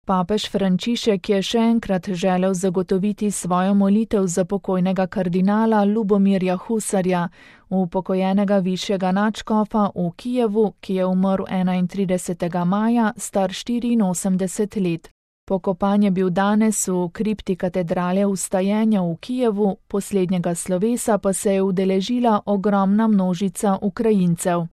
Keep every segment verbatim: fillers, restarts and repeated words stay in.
Papež Frančišek je še enkrat želel zagotoviti svojo molitev za pokojnega kardinala Lubomirja Husarja, upokojenega višjega nadškofa v Kijevu, ki je umrl enaintridesetega maja, star štiriinosemdeset let. Pokopan je bil danes v kripti katedrale Vstajenja v Kijevu, poslednjega slovesa pa se je udeležila ogromna množica Ukrajincev.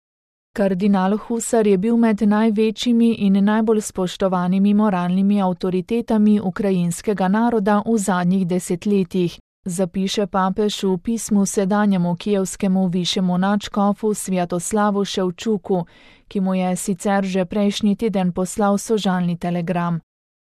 Kardinal Husar je bil med največjimi in najbolj spoštovanimi moralnimi avtoritetami ukrajinskega naroda v zadnjih desetletjih, zapiše papež v pismu sedanjemu kijevskemu višjemu nadškofu Svjatoslavu Ševčuku, ki mu je sicer že prejšnji teden poslal sožalni telegram.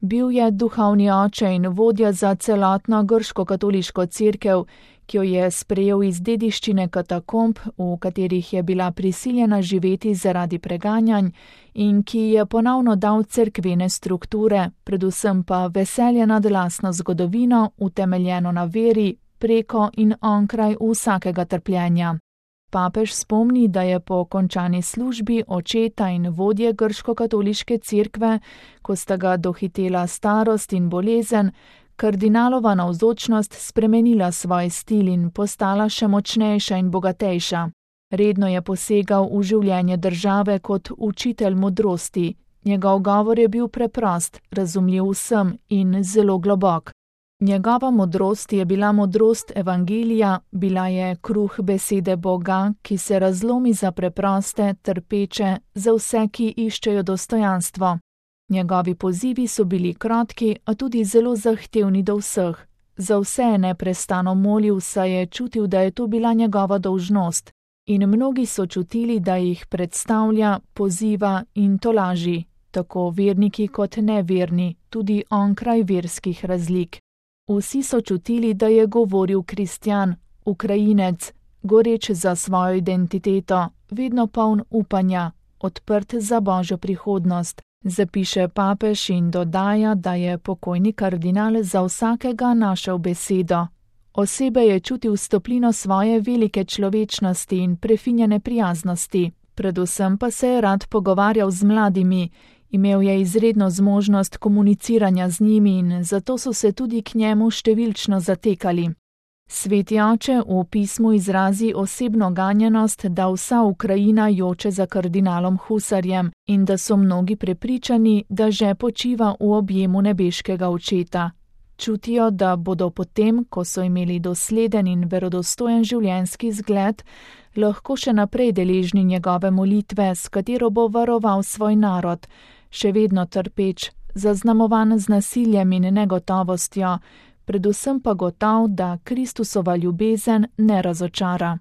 Bil je duhovni oče in vodja za celotno grško-katoliško cerkev, ki jo je sprejel iz dediščine katakomb, v katerih je bila prisiljena živeti zaradi preganjanj, in ki je ponovno dal cerkvene strukture, predvsem pa veselje nad lastno zgodovino, utemeljeno na veri, preko in onkraj vsakega trpljenja. Papež spomni, da je po končani službi očeta in vodje grško-katoliške cerkve, ko sta ga dohitela starost in bolezen, kardinalova navzočnost spremenila svoj stil in postala še močnejša in bogatejša. Redno je posegal v življenje države kot učitelj modrosti. Njegov govor je bil preprost, razumljiv vsem in zelo globok. Njegova modrost je bila modrost evangelija, bila je kruh besede Boga, ki se razlomi za preproste, trpeče, za vse, ki iščejo dostojanstvo. Njegovi pozivi so bili kratki, a tudi zelo zahtevni do vseh. Za vse je neprestano molil, saj je čutil, da je to bila njegova dolžnost. In mnogi so čutili, da jih predstavlja, poziva in tolaži, tako verniki kot neverni, tudi onkraj verskih razlik. Vsi so čutili, da je govoril kristjan, Ukrajinec, goreč za svojo identiteto, vedno poln upanja, odprt za božjo prihodnost, zapiše papež in dodaja, da je pokojni kardinal za vsakega našel besedo. Osebe je čutil stoplino svoje velike človečnosti in prefinjene prijaznosti, predvsem pa se je rad pogovarjal z mladimi. Imel je izredno zmožnost komuniciranja z njimi in zato so se tudi k njemu številčno zatekali. Sveti oče v pismu izrazi osebno ganjenost, da vsa Ukrajina joče za kardinalom Husarjem in da so mnogi prepričani, da že počiva v objemu nebeškega očeta. Čutijo, da bodo potem, ko so imeli dosleden in verodostojen življenjski zgled, lahko še naprej deležni njegove molitve, s katero bo varoval svoj narod, še vedno trpeč, zaznamovan z nasiljem in negotovostjo, predvsem pa gotov, da Kristusova ljubezen ne razočara.